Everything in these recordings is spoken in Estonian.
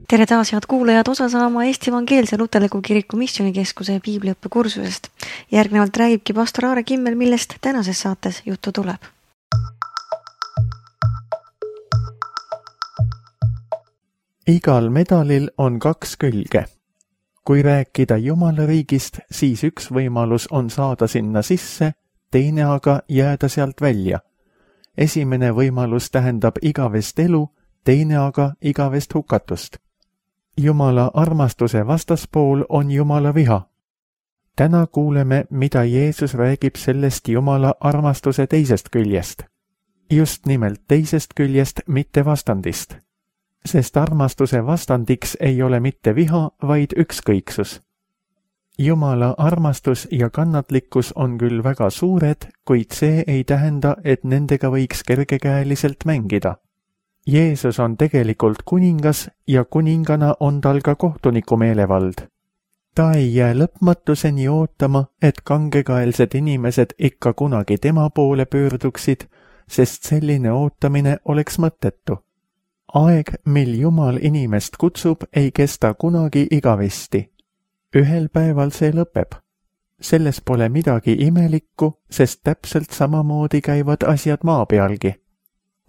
Tere taas, head kuulajad, osa saama Eesti Evangeelse Luterliku Kiriku Missioonikeskuse piibliõppekursusest. Järgnevalt räägibki pastor Aare Kimmel, millest tänases saates juttu tuleb. Igal medalil on 2 külge. Kui rääkida Jumala riigist, siis üks võimalus on saada sinna sisse, teine aga jääda sealt välja. Esimene võimalus tähendab igavest elu, teine aga igavest hukatust. Jumala armastuse vastaspool on Jumala viha. Täna kuuleme, mida Jeesus räägib sellest Jumala armastuse teisest küljest. Just nimelt teisest küljest, mitte vastandist. Sest armastuse vastandiks ei ole mitte viha, vaid ükskõiksus. Jumala armastus ja kannatlikkus on küll väga suured, kuid see ei tähenda, et nendega võiks kergekäeliselt mängida. Jeesus on tegelikult kuningas ja kuningana on tal ka kohtuniku meelevald. Ta ei jää lõpmatuseni ootama, et kangekaelsed inimesed ikka kunagi tema poole pöörduksid, sest selline ootamine oleks mõttetu. Aeg, mil Jumal inimest kutsub, ei kesta kunagi igavesti. Ühel päeval see lõpeb. Selles pole midagi imelikku, sest täpselt samamoodi käivad asjad maa pealgi.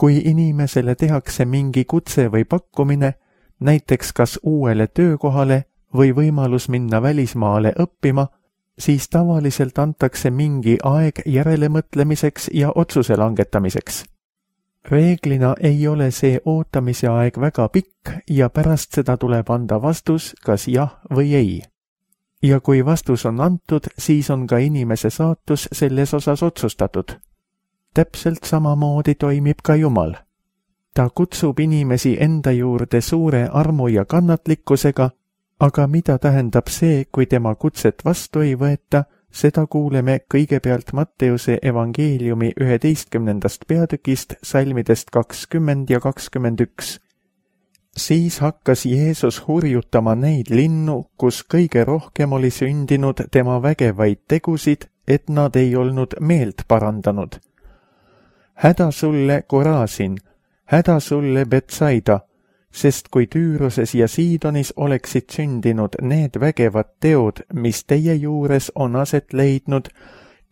Kui inimesele tehakse mingi kutse või pakkumine, näiteks kas uuele töökohale või võimalus minna välismaale õppima, siis tavaliselt antakse mingi aeg järelemõtlemiseks ja otsuse langetamiseks. Reeglina ei ole see ootamise aeg väga pikk ja pärast seda tuleb anda vastus, kas jah või ei. Ja kui vastus on antud, siis on ka inimese saatus selles osas otsustatud. Täpselt samamoodi toimib ka Jumal. Ta kutsub inimesi enda juurde suure armu ja kannatlikkusega, aga mida tähendab see, kui tema kutset vastu ei võeta, seda kuuleme kõigepealt Matteuse evangeeliumi 11. peatükist salmidest 20 ja 21. Siis hakkas Jeesus hurjutama neid linnu, kus kõige rohkem oli sündinud tema vägevaid tegusid, et nad ei olnud meelt parandanud. Häda sulle, Korasin, häda sulle, Betsaida, sest kui Tüüroses ja Siidonis oleksid sündinud need vägevad teod, mis teie juures on aset leidnud,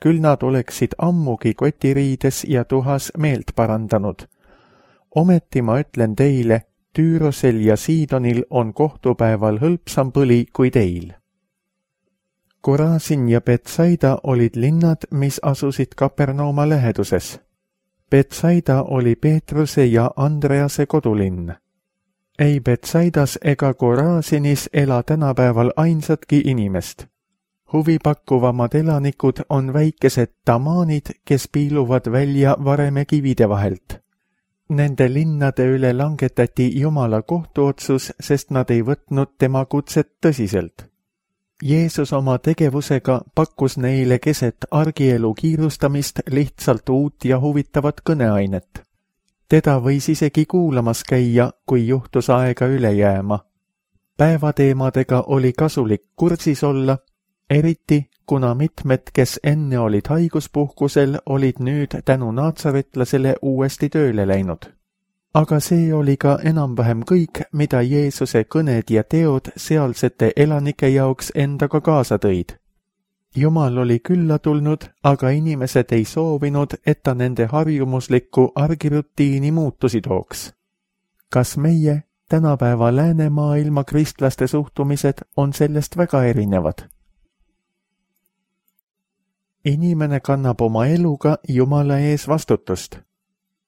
küll nad oleksid ammugi kotiriides ja tuhas meelt parandanud. Ometi ma ütlen teile, Tüürosel ja Siidonil on kohtupäeval hõlpsam põli kui teil. Korasin ja Betsaida olid linnad, mis asusid Kapernauma läheduses. Betsaida oli Peetruse ja Andrease kodulinn. Ei Betsaidas ega Korasinis ela tänapäeval ainsatki inimest. Huvipakkuvamad elanikud on väikesed tamaanid, kes piiluvad välja vareme kivide vahelt. Nende linnade üle langetati Jumala kohtuotsus, sest nad ei võtnud tema kutset tõsiselt. Jeesus oma tegevusega pakkus neile keset argielu kiirustamist lihtsalt uut ja huvitavat kõneainet. Teda võis isegi kuulamas käia, kui juhtus aega üle jääma. Päevateemadega oli kasulik kursis olla, eriti kuna mitmed, kes enne olid haiguspuhkusel, olid nüüd tänu naatsaretlasele uuesti tööle läinud. Aga see oli ka enam-vähem kõik, mida Jeesuse kõned ja teod sealsete elanike jaoks endaga kaasa tõid. Jumal oli külla tulnud, aga inimesed ei soovinud, et ta nende harjumuslikku argirutiini muutusi tooks. Kas meie, tänapäeva läänemaailma kristlaste suhtumised on sellest väga erinevad? Inimene kannab oma eluga Jumala ees vastutust.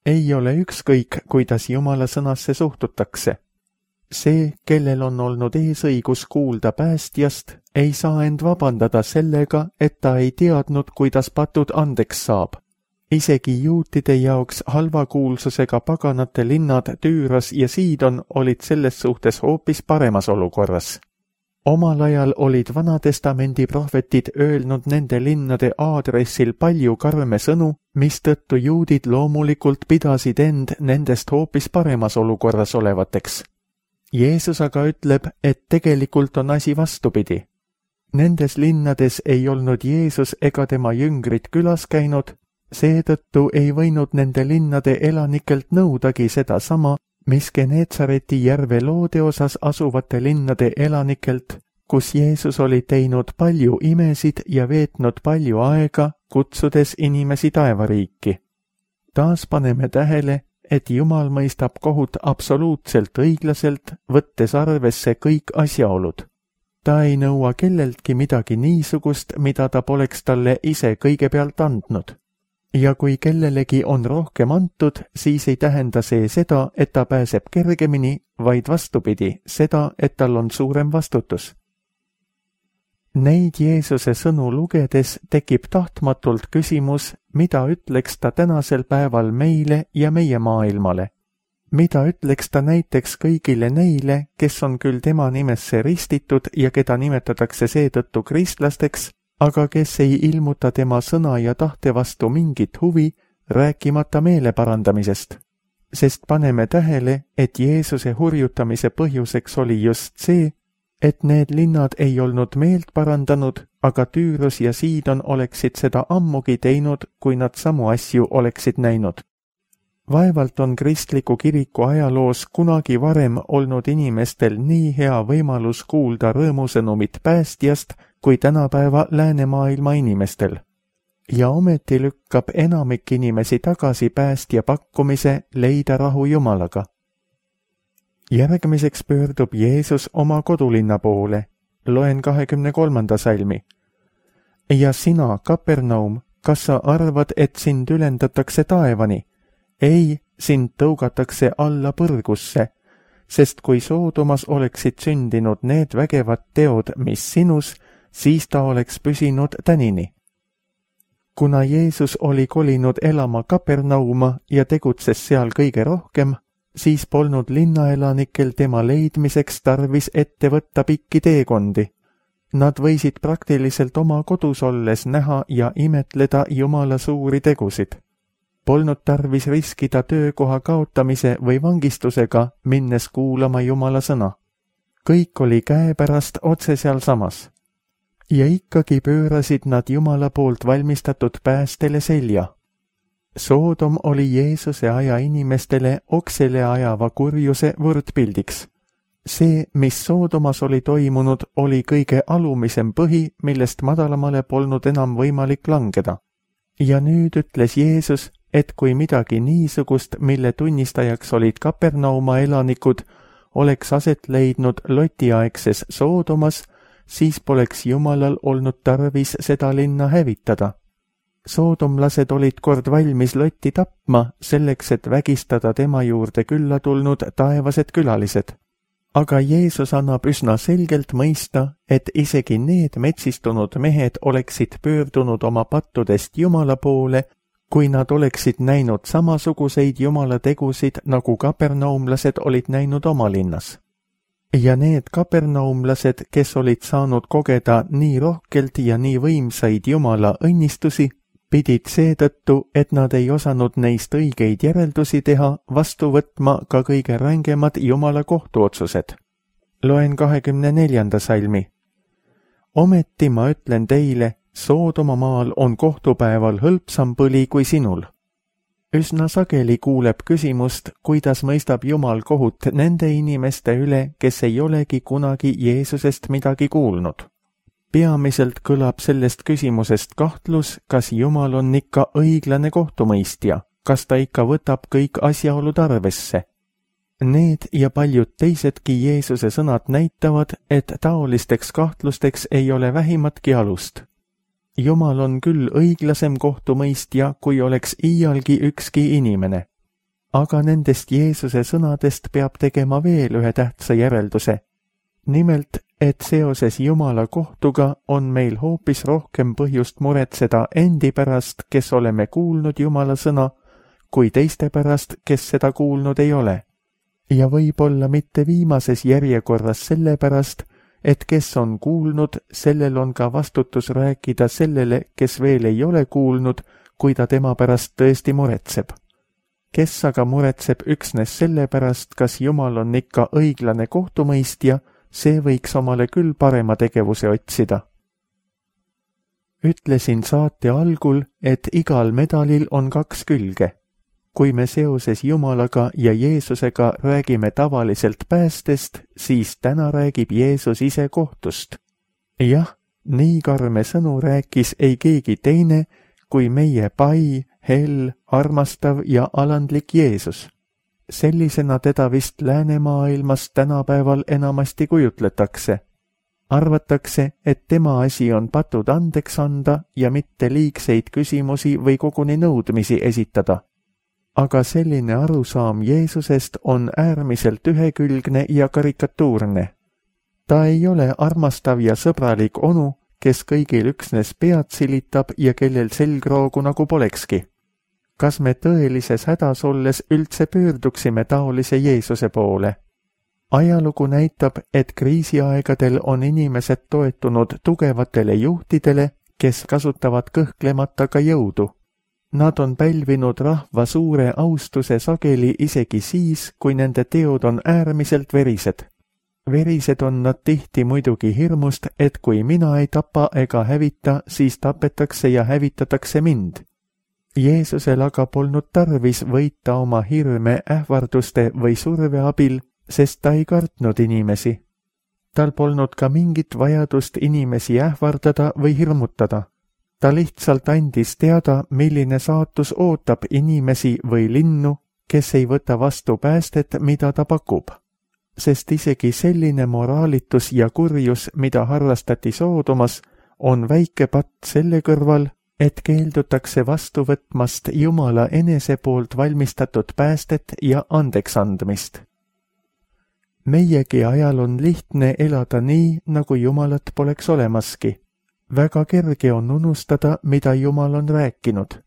Ei ole ükskõik, kuidas Jumala sõnasse suhtutakse. See, kellel on olnud eesõigus kuulda päästjast, ei saa end vabandada sellega, et ta ei teadnud, kuidas patud andeks saab. Isegi juutide jaoks halvakuulsusega paganate linnad Tüüros ja Siidon olid selles suhtes hoopis paremas olukorras. Omal ajal olid Vanatestamendi prohvetid öelnud nende linnade aadressil palju karme sõnu, mistõttu juudid loomulikult pidasid end nendest hoopis paremas olukorras olevateks. Jeesus aga ütleb, et tegelikult on asi vastupidi. Nendes linnades ei olnud Jeesus ega tema jüngrid külas käinud, seetõttu ei võinud nende linnade elanikelt nõudagi sedasama, mis Geneetsareti järve loode osas asuvate linnade elanikelt, kus Jeesus oli teinud palju imesid ja veetnud palju aega, kutsudes inimesi taevariiki. Taas paneme tähele, et Jumal mõistab kohut absoluutselt õiglaselt, võttes arvesse kõik asjaolud. Ta ei nõua kelleltki midagi niisugust, mida ta poleks talle ise kõigepealt andnud. Ja kui kellelegi on rohkem antud, siis ei tähenda see seda, et ta pääseb kergemini, vaid vastupidi, seda, et tal on suurem vastutus. Neid Jeesuse sõnu lugedes tekib tahtmatult küsimus, mida ütleks ta tänasel päeval meile ja meie maailmale. Mida ütleks ta näiteks kõigile neile, kes on küll tema nimesse ristitud ja keda nimetatakse seetõttu kristlasteks, aga kes ei ilmuta tema sõna ja tahte vastu mingit huvi, rääkimata meele parandamisest. Sest paneme tähele, et Jeesuse hurjutamise põhjuseks oli just see, et need linnad ei olnud meelt parandanud, aga Tüürus ja Siidon oleksid seda ammugi teinud, kui nad samu asju oleksid näinud. Vaevalt on kristliku kiriku ajaloos kunagi varem olnud inimestel nii hea võimalus kuulda rõõmusõnumit päästjast, kui tänapäeva läänemaailma inimestel. Ja ometi lükkab enamik inimesi tagasi päästja pakkumise leida rahu Jumalaga. Järgmiseks pöördub Jeesus oma kodulinna poole. Loen 23. salmi. Ja sina, Kapernaum, kas sa arvad, et sind ülendatakse taevani? Ei, sind tõugatakse alla põrgusse, sest kui Soodomas oleksid sündinud need vägevad teod, mis sinus, siis ta oleks püsinud tänini. Kuna Jeesus oli kolinud elama Kapernauma ja tegutses seal kõige rohkem, siis polnud linnaelanikel tema leidmiseks tarvis ette võtta pikki teekondi. Nad võisid praktiliselt oma kodus olles näha ja imetleda Jumala suuri tegusid. Polnud tarvis riskida töökoha kaotamise või vangistusega, minnes kuulama Jumala sõna. Kõik oli käepärast otse sealsamas. Ja ikkagi pöörasid nad Jumala poolt valmistatud päästele selja. Soodom oli Jeesuse aja inimestele oksele ajava kurjuse võrdpildiks. See, mis Soodomas oli toimunud, oli kõige alumisem põhi, millest madalamale polnud enam võimalik langeda. Ja nüüd ütles Jeesus, et kui midagi niisugust, mille tunnistajaks olid Kapernauma elanikud, oleks aset leidnud Lotiaegses Soodomas, siis poleks Jumalal olnud tarvis seda linna hävitada. Soodomlased olid kord valmis Lotti tapma selleks, et vägistada tema juurde külla tulnud taevased külalised. Aga Jeesus annab üsna selgelt mõista, et isegi need metsistunud mehed oleksid pöördunud oma pattudest Jumala poole, kui nad oleksid näinud samasuguseid Jumala tegusid, nagu kapernaumlased olid näinud oma linnas. Ja need kapernaumlased, kes olid saanud kogeda nii rohkelt ja nii võimsaid Jumala õnnistusi, pidid seetõttu, et nad ei osanud neist õigeid järeldusi teha, vastu võtma ka kõige rängemad Jumala kohtuotsused. Loen 24. salmi. Ometi ma ütlen teile, Soodoma maal on kohtupäeval hõlpsam põli kui sinul. Üsna sageli kuuleb küsimust, kuidas mõistab Jumal kohut nende inimeste üle, kes ei olegi kunagi Jeesusest midagi kuulnud. Peamiselt kõlab sellest küsimusest kahtlus, kas Jumal on ikka õiglane kohtumõistja, kas ta ikka võtab kõik asjaolud arvesse. Need ja paljud teisedki Jeesuse sõnad näitavad, et taolisteks kahtlusteks ei ole vähimatki alust. Jumal on küll õiglasem kohtumõistja, kui oleks iialgi ükski inimene. Aga nendest Jeesuse sõnadest peab tegema veel ühe tähtsa järelduse. Nimelt, et seoses Jumala kohtuga on meil hoopis rohkem põhjust muretseda endi pärast, kes oleme kuulnud Jumala sõna, kui teiste pärast, kes seda kuulnud ei ole. Ja võib-olla mitte viimases järjekorras selle pärast, et kes on kuulnud, sellel on ka vastutus rääkida sellele, kes veel ei ole kuulnud, kui ta tema pärast tõesti muretseb. Kes aga muretseb üksnes selle pärast, kas Jumal on ikka õiglane kohtumõistja, see võiks omale küll parema tegevuse otsida. Ütlesin saate algul, et igal medalil on kaks külge. kui me seoses Jumalaga ja Jeesusega räägime tavaliselt päästest, siis täna räägib Jeesus ise kohtust. Jah, nii karme sõnu rääkis ei keegi teine kui meie pai, hell, armastav ja alandlik Jeesus. Sellisena teda vist läänemaailmas tänapäeval enamasti kujutletakse. Arvatakse, et tema asi on patud andeks anda ja mitte liigseid küsimusi või koguni nõudmisi esitada. Aga selline arusaam Jeesusest on äärmiselt ühekülgne ja karikatuurne. Ta ei ole armastav ja sõbralik onu, kes kõigil üksnes pead silitab ja kellel selgroogu nagu polekski. Kas me tõelises hädas olles üldse pöörduksime taolise Jeesuse poole? Ajalugu näitab, et kriisiaegadel on inimesed toetunud tugevatele juhtidele, kes kasutavad kõhklemata ka jõudu. Nad on pälvinud rahva suure austuse sageli isegi siis, kui nende teod on äärmiselt verised. Verised on nad tihti muidugi hirmust, et kui mina ei tapa ega hävita, siis tapetakse ja hävitatakse mind. Jeesusel aga polnud tarvis võita oma hirme ähvarduste või surve abil, sest ta ei kartnud inimesi. Tal polnud ka mingit vajadust inimesi ähvardada või hirmutada. Ta lihtsalt andis teada, milline saatus ootab inimesi või linnu, kes ei võta vastu päästet, mida ta pakub. Sest isegi selline moraalitus ja kurjus, mida harrastati Soodomas, on väike patt selle kõrval, et keeldutakse vastu võtmast Jumala enese poolt valmistatud päästet ja andeksandmist. Meiegi ajal on lihtne elada nii, nagu Jumalat poleks olemaski. Väga kerge on unustada, mida Jumal on rääkinud.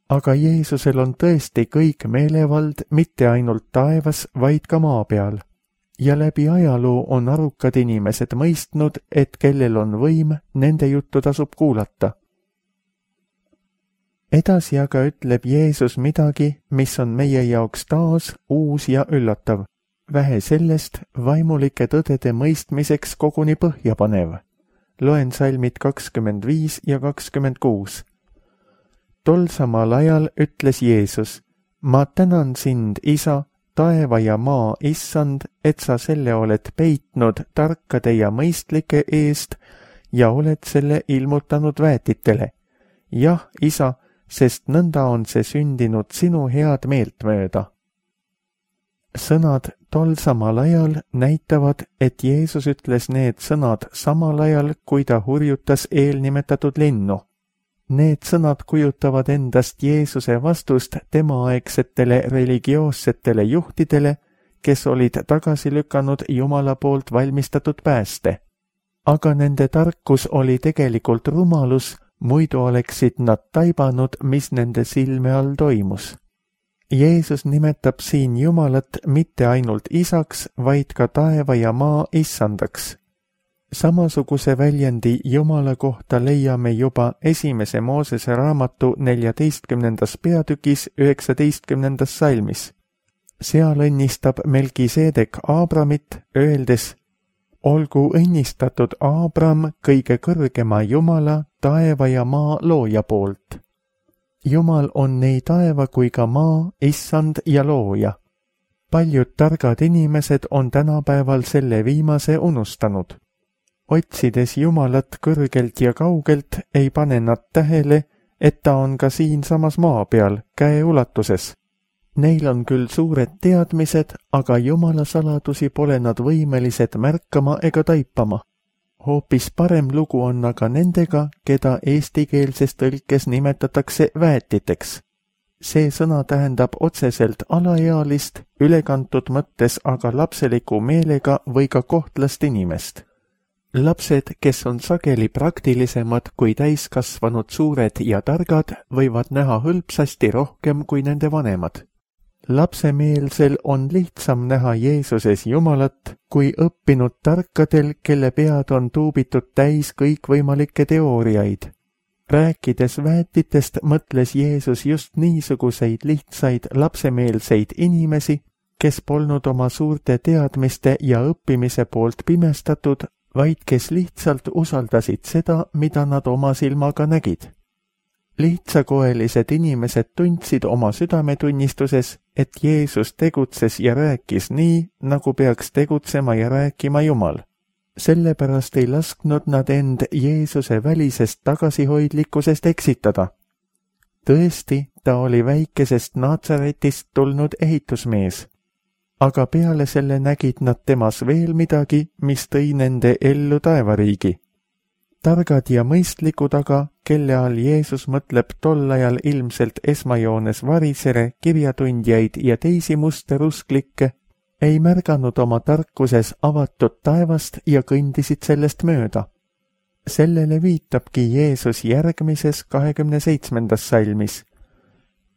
Aga Jeesusel on tõesti kõik meelevald mitte ainult taevas, vaid ka maa peal. Ja läbi ajaloo on arukad inimesed mõistnud, et kellel on võim, nende juttu tasub kuulata. Edasi aga ütleb Jeesus midagi, mis on meie jaoks taas uus ja üllatav. Vähe sellest vaimulike tõdede mõistmiseks koguni põhjapanev. Loen salmid 25 ja 26. Tol samal ajal ütles Jeesus, ma tänan sind, Isa, taeva ja maa issand, et sa selle oled peitnud tarkade ja mõistlike eest ja oled selle ilmutanud väetitele. Jah, Isa, sest nõnda on see sündinud sinu head meelt mööda. Sõnad tol samal ajal näitavad, et Jeesus ütles need sõnad samal ajal, kui ta hurjutas eelnimetatud linnu. Need sõnad kujutavad endast Jeesuse vastust temaaegsetele religioossetele juhtidele, kes olid tagasi lükanud Jumala poolt valmistatud pääste. Aga nende tarkus oli tegelikult rumalus, muidu oleksid nad taibanud, mis nende silme all toimus. Jeesus nimetab siin Jumalat mitte ainult isaks, vaid ka taeva ja maa issandaks. Samasuguse väljendi Jumala kohta leiame juba 1. Moosese raamatu 14. peatükis 19. salmis. Seal õnnistab Melkiseedek Aabramit, öeldes, olgu õnnistatud Aabram kõige kõrgema Jumala, taeva ja maa looja poolt. Jumal on nii taeva kui ka maa, issand ja looja. Paljud targad inimesed on tänapäeval selle viimase unustanud. Otsides Jumalat kõrgelt ja kaugelt, ei pane nad tähele, et ta on ka siinsamas maa peal, käe ulatuses. Neil on küll suured teadmised, aga Jumala saladusi pole nad võimelised märkama ega taipama. Hoopis parem lugu on aga nendega, keda eestikeelses tõlkes nimetatakse väetiteks. See sõna tähendab otseselt alaealist, ülekantud mõttes aga lapseliku meelega või ka kohtlast inimest. Lapsed, kes on sageli praktilisemad kui täiskasvanud suured ja targad, võivad näha hõlpsasti rohkem kui nende vanemad. Lapsemeelsel on lihtsam näha Jeesuses Jumalat kui õppinud tarkadel, kelle pead on tuubitud täis kõikvõimalikke teooriaid. Rääkides väetitest mõtles Jeesus just niisuguseid lihtsaid lapsemeelseid inimesi, kes polnud oma suurte teadmiste ja õppimise poolt pimestatud, vaid kes lihtsalt usaldasid seda, mida nad oma silmaga nägid. Lihtsakoelised inimesed tundsid oma südametunnistuses, et Jeesus tegutses ja rääkis nii, nagu peaks tegutsema ja rääkima Jumal. Sellepärast ei lasknud nad end Jeesuse välisest tagasihoidlikkusest eksitada. Tõesti, ta oli väikesest Naatsaretist tulnud ehitusmees. Aga peale selle nägid nad temas veel midagi, mis tõi nende ellu taevariigi. Targad ja mõistlikud aga, kelle all Jeesus mõtleb tol ajal ilmselt esmajoones varisere, kirjatundjaid ja teisi musterusklikke, ei märganud oma tarkuses avatud taevast ja kõndisid sellest mööda. Sellele viitabki Jeesus järgmises 27. salmis.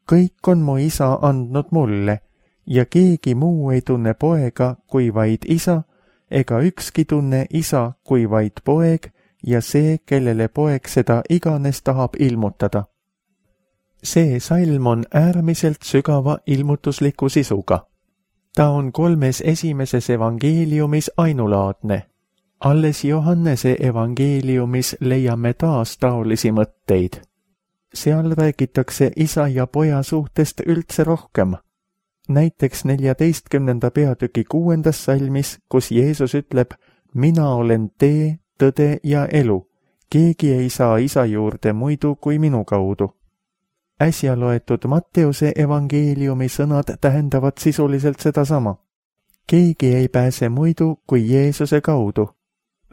Kõik on mu isa andnud mulle ja keegi muu ei tunne poega kui vaid isa, ega ükski tunne isa kui vaid poeg ja see, kellele poeg seda iganes tahab ilmutada. See salm on äärmiselt sügava ilmutusliku sisuga. Ta on 3 esimeses evangeeliumis ainulaadne. Alles Johannese evangeeliumis leiame taas taolisi mõtteid. Seal räägitakse isa ja poja suhtest üldse rohkem. Näiteks 14. peatüki 6. salmis, kus Jeesus ütleb, mina olen tee, tõde ja elu. Keegi ei saa isa juurde muidu kui minu kaudu. Äsja loetud Matteuse evangeeliumi sõnad tähendavad sisuliselt sedasama. Keegi ei pääse muidu kui Jeesuse kaudu.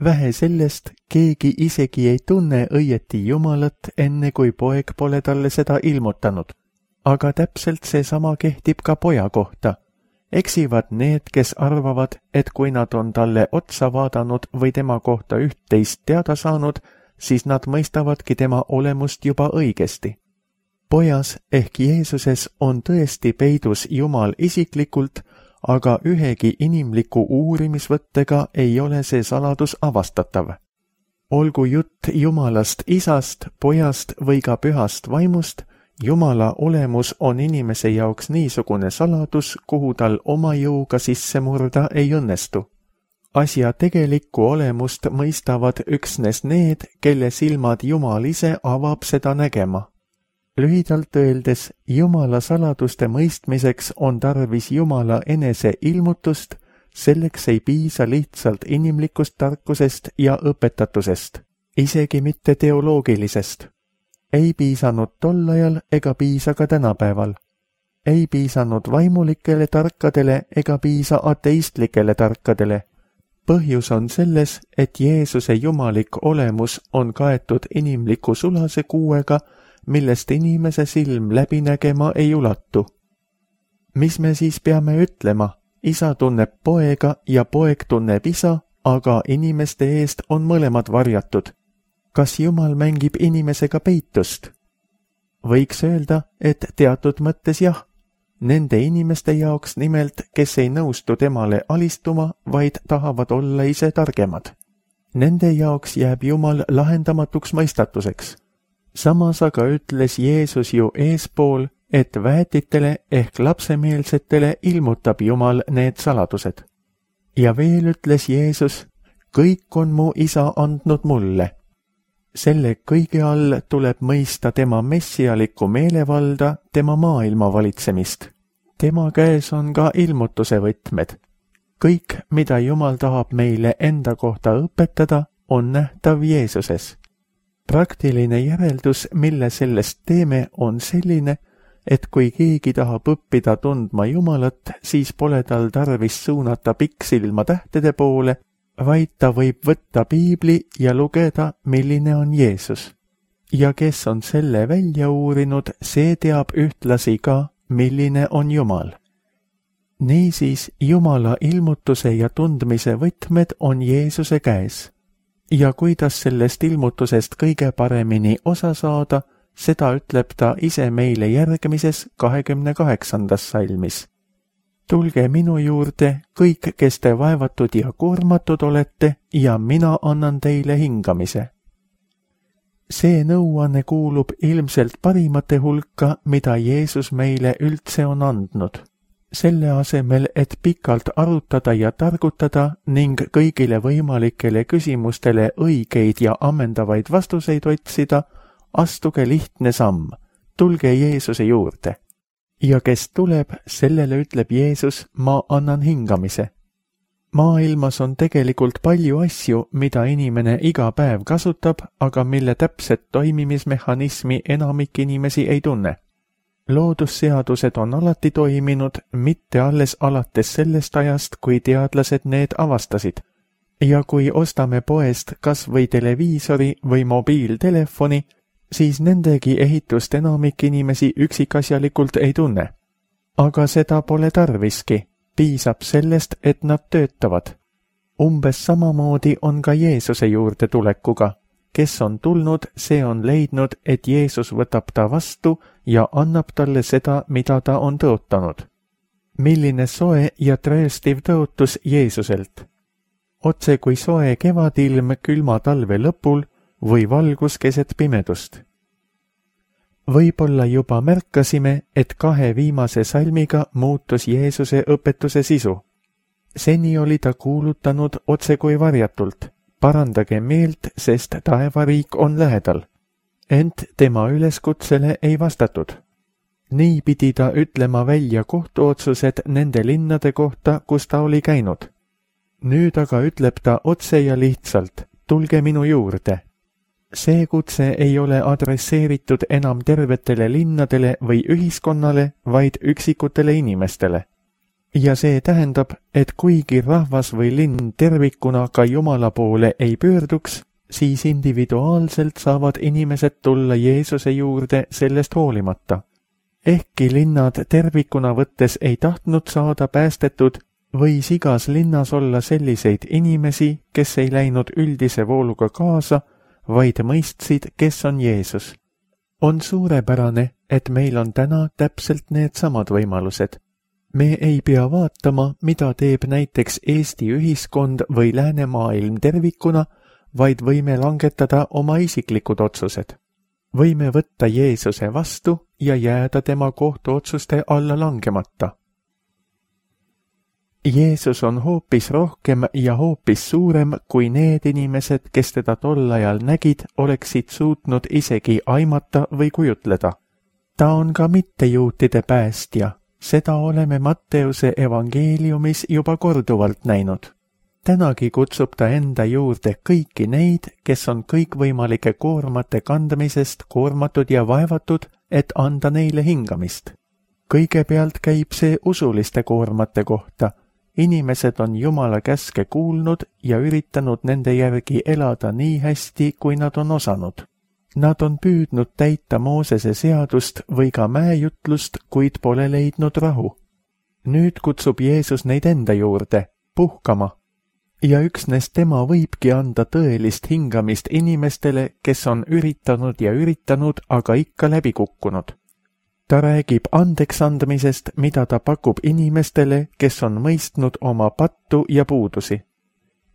Vähe sellest, keegi isegi ei tunne õieti Jumalat, enne kui poeg pole talle seda ilmutanud. Aga täpselt seesama kehtib ka poja kohta. Eksivad need, kes arvavad, et kui nad on talle otsa vaadanud või tema kohta üht-teist teada saanud, siis nad mõistavadki tema olemust juba õigesti. Pojas ehk Jeesuses on tõesti peidus Jumal isiklikult, aga ühegi inimliku uurimisvõttega ei ole see saladus avastatav. Olgu jutt Jumalast isast, pojast või ka pühast vaimust, Jumala olemus on inimese jaoks niisugune saladus, kuhu tal oma jõuga sisse murda ei õnnestu. Asja tegelikku olemust mõistavad üksnes need, kelle silmad Jumal ise avab seda nägema. Lühidalt öeldes, Jumala saladuste mõistmiseks on tarvis Jumala enese ilmutust, selleks ei piisa lihtsalt inimlikust tarkusest ja õpetatusest, isegi mitte teoloogilisest. Ei piisanud tol ajal ega piisa ka tänapäeval. Ei piisanud vaimulikele tarkadele ega piisa ateistlikele tarkadele. Põhjus on selles, et Jeesuse jumalik olemus on kaetud inimliku sulase kuuega, millest inimese silm läbi nägema ei ulatu. Mis me siis peame ütlema? Isa tunneb poega ja poeg tunneb isa, aga inimeste eest on mõlemad varjatud. Kas Jumal mängib inimesega peitust? Võiks öelda, et teatud mõttes jah. Nende inimeste jaoks nimelt, kes ei nõustu temale alistuma, vaid tahavad olla ise targemad. Nende jaoks jääb Jumal lahendamatuks mõistatuseks. Samas aga ütles Jeesus ju eespool, et väetitele ehk lapsemeelsetele ilmutab Jumal need saladused. Ja veel ütles Jeesus, kõik on mu isa andnud mulle. Selle kõige all tuleb mõista tema messialikku meelevalda, tema maailma valitsemist. Tema käes on ka ilmutuse võtmed. Kõik, mida Jumal tahab meile enda kohta õpetada, on nähtav Jeesuses. Praktiline järeldus, mille sellest teeme, on selline, et kui keegi tahab õppida tundma Jumalat, siis pole tal tarvis suunata pikksilma tähtede poole, vaid ta võib võtta piibli ja lugeda, milline on Jeesus. Ja kes on selle välja uurinud, see teab ühtlasi ka, milline on Jumal. Niisiis, Jumala ilmutuse ja tundmise võtmed on Jeesuse käes. Ja kuidas sellest ilmutusest kõige paremini osa saada, seda ütleb ta ise meile järgmises 28. salmis. Tulge minu juurde, kõik, kes te vaevatud ja koormatud olete, ja mina annan teile hingamise. See nõuanne kuulub ilmselt parimate hulka, mida Jeesus meile üldse on andnud. Selle asemel, et pikalt arutada ja targutada ning kõigile võimalikele küsimustele õigeid ja ammendavaid vastuseid otsida, astuge lihtne samm, tulge Jeesuse juurde. Ja kes tuleb, sellele ütleb Jeesus, ma annan hingamise. Maailmas on tegelikult palju asju, mida inimene iga päev kasutab, aga mille täpset toimimismehhanismi enamik inimesi ei tunne. Loodusseadused on alati toiminud, mitte alles alates sellest ajast, kui teadlased need avastasid. Ja kui ostame poest kas või televiisori või mobiiltelefoni, siis nendegi ehitust enamik inimesi üksikasjalikult ei tunne. Aga seda pole tarviski, piisab sellest, et nad töötavad. Umbes samamoodi on ka Jeesuse juurde tulekuga. Kes on tulnud, see on leidnud, et Jeesus võtab ta vastu ja annab talle seda, mida ta on tõotanud. Milline soe ja trööstiv tõotus Jeesuselt. Otse kui soe kevadilm külma talve lõpul või valgus keset pimedust. Võib-olla juba märkasime, et 2 viimase salmiga muutus Jeesuse õpetuse sisu. Seni oli ta kuulutanud otse kui varjatult. Parandage meelt, sest taevariik on lähedal. Ent tema üleskutsele ei vastatud. Nii pidi ta ütlema välja kohtuotsused nende linnade kohta, kus ta oli käinud. Nüüd aga ütleb ta otse ja lihtsalt, tulge minu juurde. See kutse ei ole adresseeritud enam tervetele linnadele või ühiskonnale, vaid üksikutele inimestele. Ja see tähendab, et kuigi rahvas või linn tervikuna ka Jumala poole ei pöörduks, siis individuaalselt saavad inimesed tulla Jeesuse juurde sellest hoolimata. Ehkki linnad tervikuna võttes ei tahtnud saada päästetud, võis igas linnas olla selliseid inimesi, kes ei läinud üldise vooluga kaasa, vaid mõistsid, kes on Jeesus. On suurepärane, et meil on täna täpselt needsamad võimalused. Me ei pea vaatama, mida teeb näiteks Eesti ühiskond või läänemaailm tervikuna, vaid võime langetada oma isiklikud otsused. Võime võtta Jeesuse vastu ja jääda tema kohtuotsuste alla langemata. Jeesus on hoopis rohkem ja hoopis suurem, kui need inimesed, kes teda tol ajal nägid, oleksid suutnud isegi aimata või kujutleda. Ta on ka mittejuutide päästja. Seda oleme Matteuse evangeeliumis juba korduvalt näinud. Tänagi kutsub ta enda juurde kõiki neid, kes on kõikvõimalike koormate kandmisest koormatud ja vaevatud, et anda neile hingamist. Kõigepealt käib see usuliste koormate kohta. Inimesed on Jumala käske kuulnud ja üritanud nende järgi elada nii hästi, kui nad on osanud. Nad on püüdnud täita Moosese seadust või ka mäejutlust, kuid pole leidnud rahu. Nüüd kutsub Jeesus neid enda juurde, puhkama. Ja üksnes tema võibki anda tõelist hingamist inimestele, kes on üritanud, aga ikka läbi kukkunud. Ta räägib andeksandmisest, mida ta pakub inimestele, kes on mõistnud oma pattu ja puudusi.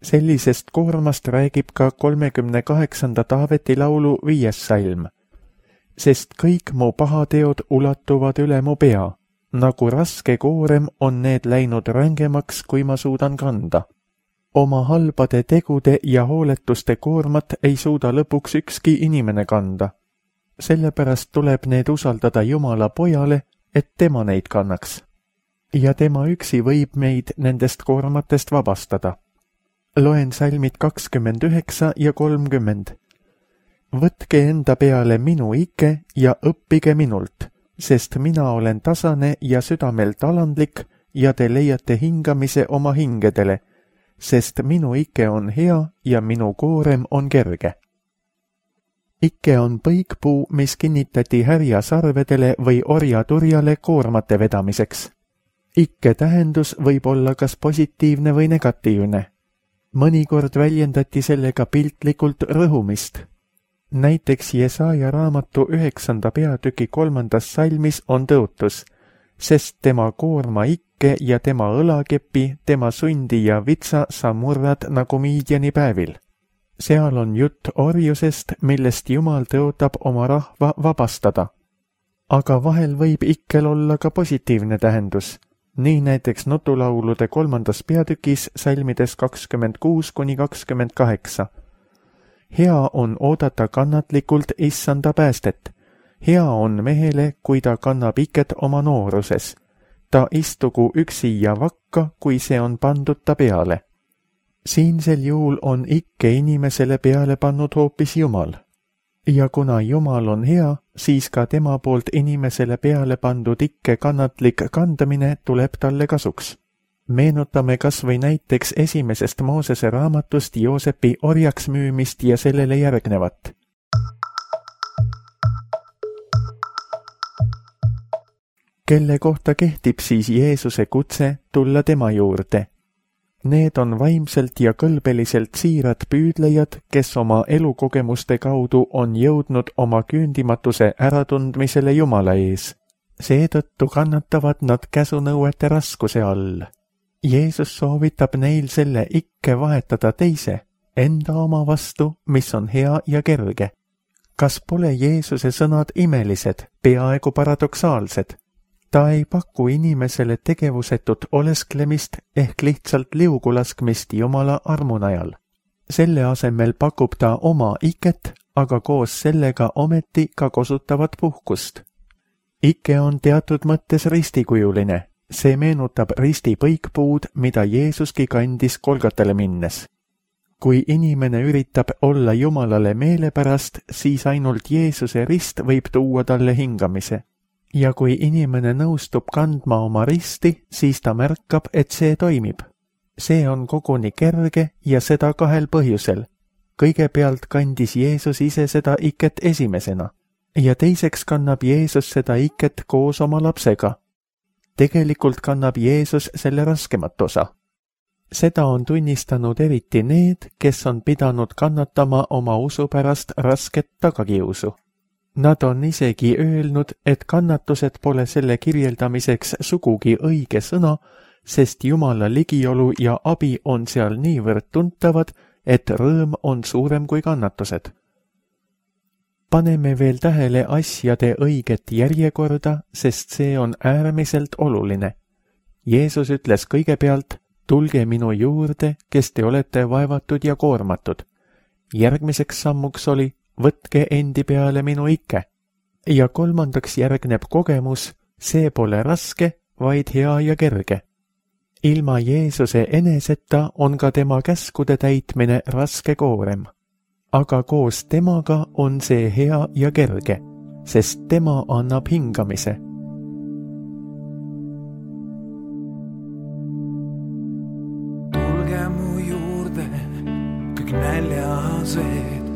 Sellisest koormast räägib ka 38. Taaveti laulu 5. salm. Sest kõik mu pahateod ulatuvad üle mu pea. Nagu raske koorem on need läinud rängemaks, kui ma suudan kanda. Oma halbade tegude ja hooletuste koormat ei suuda lõpuks ükski inimene kanda. Sellepärast tuleb need usaldada Jumala pojale, et tema neid kannaks. Ja tema üksi võib meid nendest koormatest vabastada. Loen salmid 29 ja 30. Võtke enda peale minu ike ja õppige minult, sest mina olen tasane ja südamelt alandlik ja te leiate hingamise oma hingedele, sest minu ike on hea ja minu koorem on kerge. Ikke on põikpuu, mis kinnitati härjasarvedele või orjaturjale koormate vedamiseks. Ikke tähendus võib olla kas positiivne või negatiivne. Mõnikord väljendati sellega piltlikult rõhumist. Näiteks Jesaja raamatu 9. peatüki 3. salmis on tõotus, sest tema koorma ikke ja tema õlakepi, tema sundi ja vitsa sa murrad nagu Miidiani päevil. Seal on jutt orjusest, millest Jumal tõotab oma rahva vabastada. Aga vahel võib ikkel olla ka positiivne tähendus. Nii näiteks nutulaulude 3. peatükis salmides 26-28. hea on oodata kannatlikult issanda päästet. Hea on mehele, kui ta kannab iket oma nooruses. Ta istugu üksi ja vakka, kui see on pandud ta peale. Siinsel juhul on ikke inimesele peale pannud hoopis Jumal. Ja kuna Jumal on hea, siis ka tema poolt inimesele peale pandud ikke kannatlik kandamine tuleb talle kasuks. Meenutame kas või näiteks esimesest Moosese raamatust Joosepi orjaks müümist ja sellele järgnevat. Kelle kohta kehtib siis Jeesuse kutse tulla tema juurde? Need on vaimselt ja kõlbeliselt siirad püüdlejad, kes oma elukogemuste kaudu on jõudnud oma küündimatuse äratundmisele Jumala ees. Seetõttu kannatavad nad käsunõuete raskuse all. Jeesus soovitab neil selle ikke vahetada teise, enda oma vastu, mis on hea ja kerge. Kas pole Jeesuse sõnad imelised, peaaegu paradoksaalsed? Ta ei paku inimesele tegevusetut olesklemist ehk lihtsalt liugu laskmist Jumala armu najal. Selle asemel pakub ta oma iket, aga koos sellega ometi ka kosutavat puhkust. Ike on teatud mõttes ristikujuline. See meenutab risti põikpuud, mida Jeesuski kandis Golgatale minnes. Kui inimene üritab olla Jumalale meelepärast, siis ainult Jeesuse rist võib tuua talle hingamise. Ja kui inimene nõustub kandma oma risti, siis ta märkab, et see toimib. See on koguni kerge ja seda kahel põhjusel. Kõigepealt kandis Jeesus ise seda iket esimesena ja teiseks kannab Jeesus seda iket koos oma lapsega. Tegelikult kannab Jeesus selle raskemat osa. Seda on tunnistanud eriti need, kes on pidanud kannatama oma usu pärast rasket tagakiusu. Nad on isegi öelnud, et kannatused pole selle kirjeldamiseks sugugi õige sõna, sest Jumala ligiolu ja abi on seal niivõrd tuntavad, et rõõm on suurem kui kannatused. Paneme veel tähele asjade õiget järjekorda, sest see on äärmiselt oluline. Jeesus ütles kõigepealt, tulge minu juurde, kes te olete vaevatud ja koormatud. Järgmiseks sammuks oli, võtke endi peale minu ikke. Ja kolmandaks järgneb kogemus, see pole raske, vaid hea ja kerge. Ilma Jeesuse eneseta on ka tema käskude täitmine raske koorem. Aga koos temaga on see hea ja kerge, sest tema annab hingamise. Tulge mu juurde, kõik näljased.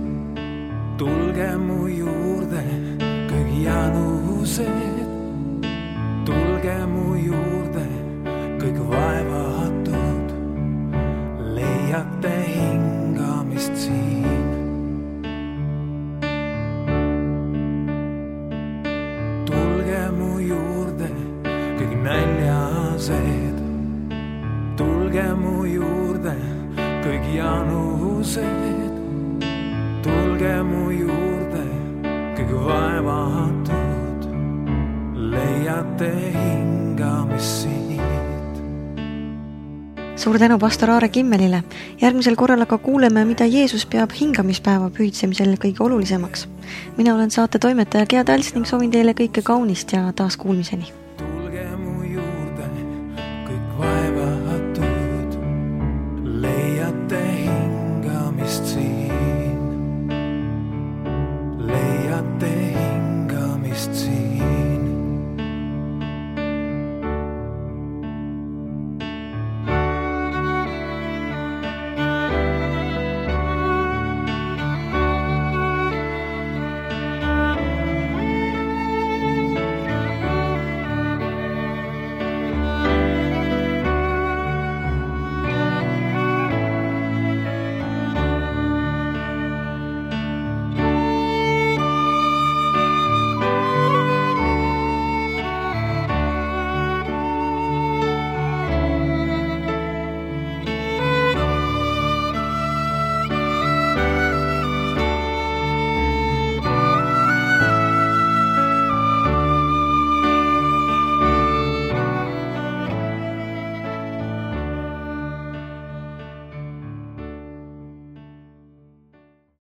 Tulge mu juurde, kõik janused. Tulge mu juurde, kõik vaevatud. Leiate hingamist siin. Mu juurde, kõik näljased. Tulge mu juurde, kõik janused. Tulge mu juurde, kõik vaevatud. Leiate hingamist siit. Suur tänu pastor Aare Kimmelile. Järgmisel korral aga kuuleme, mida Jeesus peab hingamispäeva püüdsemisel kõige olulisemaks. Mina olen saate toimetaja Gea Tals ning soovin teile kõike kaunist ja taas kuulmiseni.